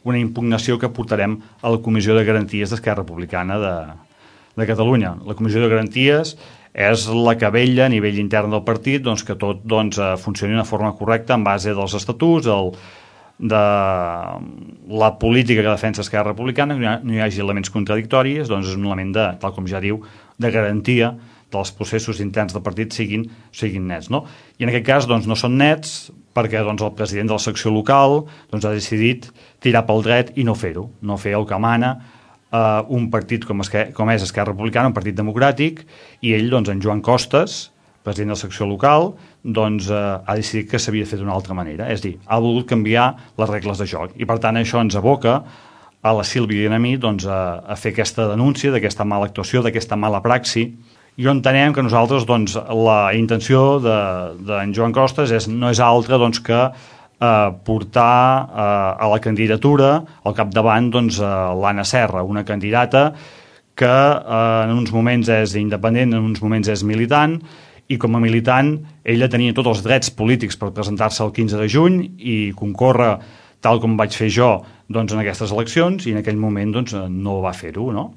una impugnació que portarem a la Comissió de Garanties d'Esquerra Republicana de Catalunya. La Comissió de Garanties és la que vetlla a nivell intern del partit doncs, que tot funcioni d'una forma correcta en base dels estatuts, de la política que defensa Esquerra Republicana, que no hi hagi elements contradictoris, doncs és un element tal com ja diu, de garantia dels processos interns del partit siguin nets, no? I en aquest cas doncs, no són nets perquè doncs, el president de la secció local doncs, ha decidit tirar pel dret i no fer-ho, no fer el que mana un partit com és Esquerra Republicana, un partit democràtic, i ell, doncs, en Joan Costas, president de la secció local, doncs, ha decidit que s'havia de fer d'una altra manera, és a dir, ha volgut canviar les regles de joc, i per tant això ens aboca a la Sílvia i a mi doncs, a fer aquesta denúncia d'aquesta mala actuació, d'aquesta mala praxi. I entenem que nosaltres, doncs, la intenció d'en Joan Costas no és altra doncs, que portar a la candidatura al capdavant doncs, l'Anna Serra, una candidata que en uns moments és independent, en uns moments és militant, i com a militant ella tenia tots els drets polítics per presentar-se el 15 de juny i concórrer tal com vaig fer jo doncs, en aquestes eleccions, i en aquell moment doncs, no va fer-ho, no?